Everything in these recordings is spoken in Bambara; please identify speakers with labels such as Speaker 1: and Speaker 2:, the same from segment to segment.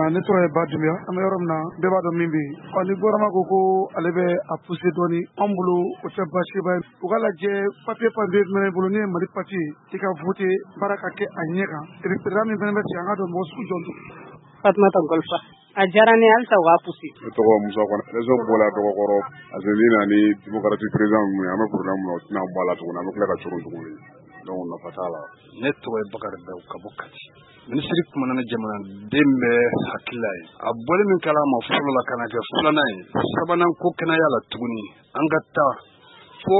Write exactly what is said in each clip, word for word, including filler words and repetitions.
Speaker 1: Ne tɔgɔ ye Ba Dunbiya. An bɛ yɔrɔ min na, bɛɛ b'a dɔn min bɛ yen. Ɔ, ni gouvernement ko ko ale bɛ a pousser dɔɔni, anw bolo o tɛ baasiba ye. U ka lajɛ, papier papier jumɛn b'i bolo n'o ye Mali papier ye, i ka voter, baara ka kɛ a ɲɛ kan. Et puis président min fana bɛ sigi, an ka dɔn mɔgɔ sugu jɔn don.
Speaker 2: Fatumata Golfa. A diyara ne ye, halisa u k'a pousser.
Speaker 3: Ne tɔgɔ Musa Kɔnɛ. Élection bɔla dɔgɔkɔrɔ parce que ni na ni démocratie président ninnu ye, an bɛ problème min na, o tɛna bɔ a la tuguni, an bɛ tila ka coron tuguni, donc nafa t'a la.
Speaker 4: Ne tɔgɔ ye Bakari Daw ka bɔ Kati. Minisiri kumana ni jamanaden bɛɛ hakilila ye. A bɔli min kɛla a ma fɔlɔ la ka na kɛ filanan ye, sabanan ko kɛnɛya la tuguni, an ka taa fo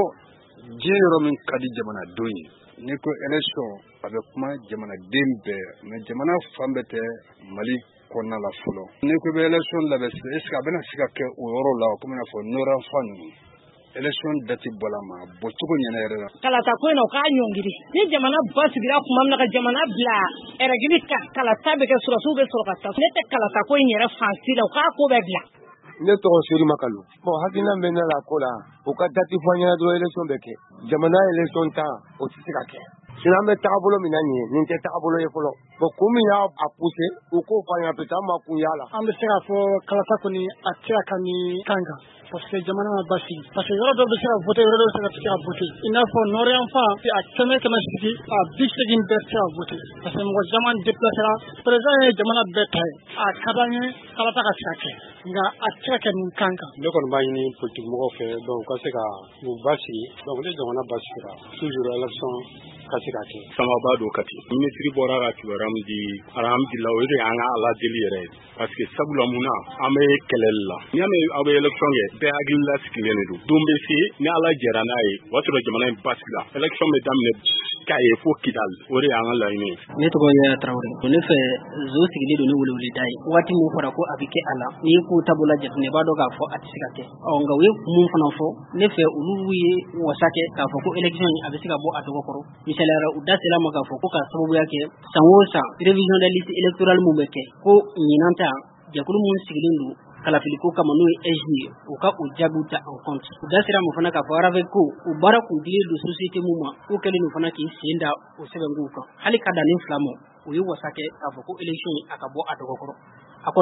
Speaker 4: diɲɛ yɔrɔ min ka di jamanadenw ye. N'i ko élection, a bɛ kuma jamanaden bɛɛ, mais jamana fan bɛɛ tɛ Mali kɔnɔna la fɔlɔ. N'i ko i bɛ élection labɛn sisan, est ce que a bɛna se ka kɛ o yɔrɔ la komi i n'a fɔ nord fan ninnu? Élection date bɔla ma bɔcogo ɲɛna yɛrɛ la.
Speaker 2: Kalata ko in na, u k'a ɲɔngiri. Ni jamana ba sigira tuma min na ka jamana bila règle kan, kalata bɛ kɛ, sɔrɔdasiw bɛ sɔrɔ ka taa. Ne tɛ kalata ko in yɛrɛ fan si la, u k'a ko bɛɛ bila.
Speaker 5: Ne tɔgɔ Sori Makalu. Bon, hakilina bɛ ne la ko la, u ka date fɔ an ɲɛna dɔrɔn, élection bɛ kɛ. Jamana élection tan, o tɛ se ka kɛ. Sinon an bɛ tagabolo min na nin ye, nin tɛ tagabolo ye fɔlɔ. Bon, kun min y'a poussé, u k'o fɔ an ɲɛna, peut-être an ma kun y'a la.
Speaker 1: An bɛ se k'a fɔ kalata kɔni a tɛ se ka nin kan kan parce que jamana ma basigi, parce que yɔrɔ dɔw bɛ se ka voter, yɔrɔ dɔw bɛ se ka se ka voter. I n'a fɔ nord yan fan, a kɛmɛ kɛmɛ sigi, a bi seegin bɛɛ tɛ se ka voter parce que mɔgɔ caman déplacera. Président ye jamana bɛɛ ta ye, a ka d'an ye kalata ka se ka kɛ, nka a tɛ se ka kɛ nin kan kan.
Speaker 4: Ne kɔni b'a ɲini politique mɔgɔw fɛ, donc u ka se ka u basigi. Donc ni jamana basigira, toujours élection ka se ka kɛ.
Speaker 6: Samaba don Kati. Minisiri bɔra ka kibaruya min di, alhamdulillah, o de y'an ka Ala deli yɛrɛ ye, parce que sabula mun na, an bɛ kɛlɛli la. N'i y'a mɛn aw bɛ élection kɛ, bɛɛ hakili lasigilen de don. Don bɛ se ni Ala jɛra n'a ye, o b'a sɔrɔ jamana in basigi la, élection bɛ daminɛ k'a ye fo Kidali. O de y'an ka laɲini ye.
Speaker 7: Ne tɔgɔ ye Tarawele. Ne fɛ, zo sigilen don ni weleweleda ye. Waati min fɔra ko a bɛ kɛ a la, n'i ko taabolo jateminɛ, i b'a dɔn k'a fɔ a tɛ se ka kɛ. Ɔ, nka u ye mun fana fɔ, ne fɛ olu ye wasa kɛ k'a fɔ ko élection a bɛ se ka bɔ a dɔgɔkɔrɔ. Misaliyara, u da sera ma k'a fɔ ko ka sababuya kɛ san o san révision des listes électorales mun bɛ kɛ, ko ɲinan ta jɛkulu mun sigilen don kalafiliko kama, n'o ye A I J ye, u ka o jaabiw ta en compte. U da sera ma fana k'a fɔ RAVEC ko o baara kun dilen don société mun ma, k'o kɛlen don fana k'i sen da o sɛbɛnkow kan. Hali ka dan nin fila ma, u ye wasa kɛ k'a fɔ ko élection a ka bɔ a dɔgɔkɔrɔ. A kɔni